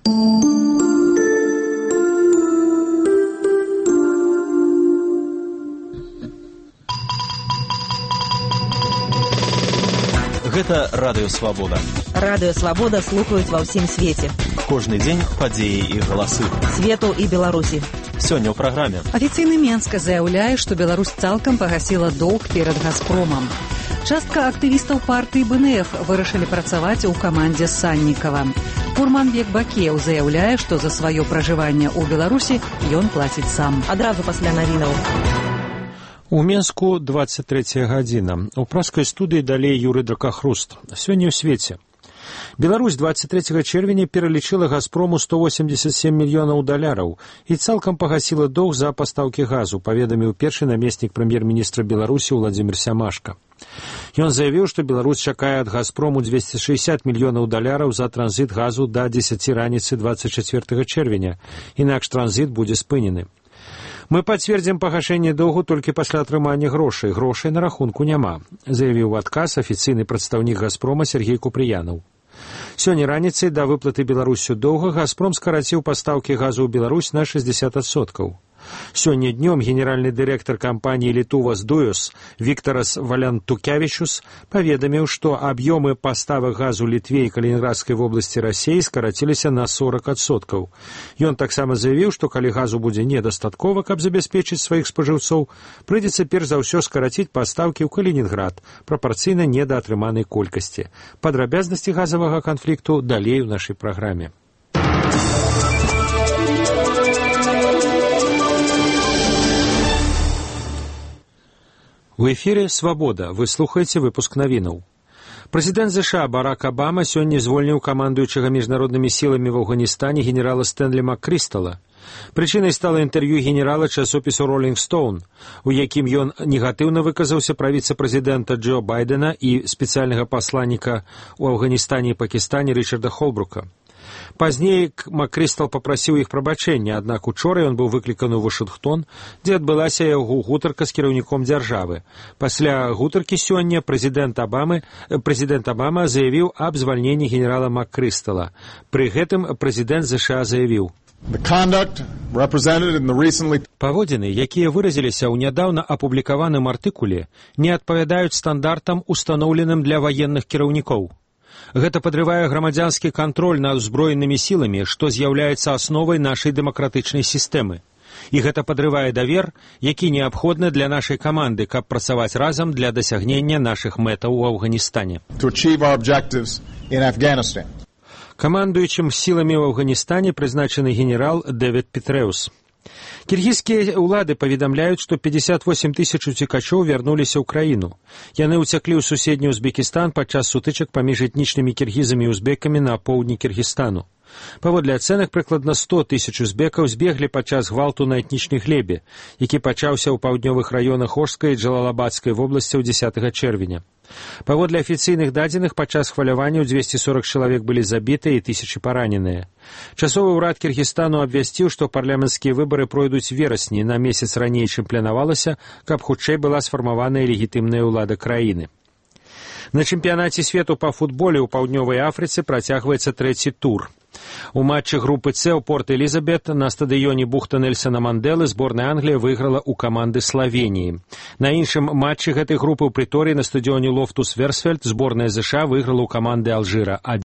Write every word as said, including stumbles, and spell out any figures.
Гэта Радыё Свабода. Радыё Свабода слухаюць ва ўсім свеце. Кожны дзень падзеі і галасы. Свету і Беларусі. Сёння ў праграме. Афіцыйны Менска заяўляе, што Беларусь цалкам пагасіла доўг перад «Газпромам». Частка актывістаў партыі бэ эн эф вырашылі працаваць у камандзе Саннікава. Курманбек Бакеў заяўляе, што за сваё пражыванне ў Беларусі ён плаціць сам. Адразу пасля навінаў. У Менску двадцать третья гадзіна. У праскай студыі далей Юры Дракахруст. Сёння ў свеце. Беларусь двадцать третьего чэрвеня пералічыла «Газпрому» сто восемьдесят семь мільёнаў даляраў і цалкам пагасіла доўг за пастаўкі газу, паведаміў першы намеснік прэм'ер-міністра Беларусі Владзімір Сямашка. Ён заявіў, што Беларусь чакае ад «Газпрому» двести шестьдесят мільёнаў даляраў за транзіт газу да дзесяці раніцы двадцать четвёртага чэрвеня, інакш транзіт будзе спынены. Мы пацвердзім пагашэнне доўгу толькі пасля атрымання грошай. Грошай на рахунку няма, заявіў у адказ афіцыйны прадстаўнік «Газпрома» Сергей Купрыянаў. Сёння раніцай да выплаты Беларусю доўга «Газпром» скараціў пастаўкі газу ў Беларусь на шестьдесят адсоткаў. Сёння днём генеральны дырэктар кампаніі «Літувас Дуюс» Викторас Валянтукявічус паведаміў, што аб'ёмы паставак газу Літве і Калінінградскай вобласці Расіі скараціліся на сорок адсоткаў. Ён таксама заявіў, што калі газу будзе недастаткова, каб забяспечыць сваіх спажыўцоў, прыйдзецца перш за ўсё скараціць пастаўкі ў Калінінград прапарцыйна недаатрыманай колькасці. Падрабязнасці газавага канфлікту далей у нашай праграме. У эфире «Свобода». Вы слухаете выпуск навінаў. Прэзідэнт ЗША Барак Обама сёння звольніў камандуючага міжнароднымі сіламі в Афганістане генерала Стэнлі Маккрыстала. Прычынай стала інтэрв'ю генерала часопісу «Роллинг Стоун», у якім ён негатыўна выказаўся пра віцэ-прэзідэнта Джо Байдена і спецыяльнага пасланніка ў Афганістане і Пакістане Рычарда Холбрука. Пазней Маккрыстал папрасіў іх прабачэння, аднак учора ён быў выкліканы ў Вашынгтон, дзе адбылася яго гутарка з кіраўніком дзяржавы. Пасля гутаркі сёння прэзідэнт Обамы, прэзідэнт Обама заявіў аб звальненні генерала Маккрыстала. Пры гэтым прэзідэнт ЗША заявіў: паводзіны, якія выразіліся ў нядаўна апублікаваным артыкуле, не адпавядаюць стандартам, устаноўленым для ваенных кіраўнікоў. Гэта падрывае грамадзянскі кантроль над узброенымі сіламі, што з'яўляецца асновай нашай дэмакратычнай сістэмы. І гэта падрывае давер, які неабходны для нашай каманды, каб працаваць разам для дасягнення нашых мэтаў у Афганістане. Камандуючым сіламі ў Афганістане прызначаны генерал Дэвід Петрэус. Кіргізскія ўлады паведамляюць, што пятьдесят восемь тысяч уцекачоў вярнуліся ў краіну. Яны ўцяклі ў суседні Узбекістан падчас сутычак паміж этнічнымі кіргізамі і узбекамі на поўдні Кіргізстану. Паводле ацэнак, прыкладна сто тысяч узбекаў збеглі падчас гвалту на этнічнай глебе, які пачаўся ў паўднёвых раёнах Ошскай і Джалалабадскай вобласцяў дзесятага чэрвеня. Паводле афіцыйных дадзеных, падчас хваляванняў двести сорок чалавек былі забітыя і тысячы параненыя. Часовы ўрад Кіргізстану абвясціў, што парламенцкія выбары пройдуць верасні, на месяц раней, чым планавалася, каб хутчэй была сфармаваная легітымная ўлада краіны. На чэмпіянаце свету па футболе ў паўднёвай Афрыцы працягваецца трэці тур. У матчы групы С ў Порт-Элізабет на стадыёне бухта Нельсона Манделы зборная Англія выйграла ў каманды Славеніі. На іншым матчы гэтай групы ў Прыторыі на стадыёне Лофтус-Версфельд зборная ЗША выйграла ў каманды Алжыра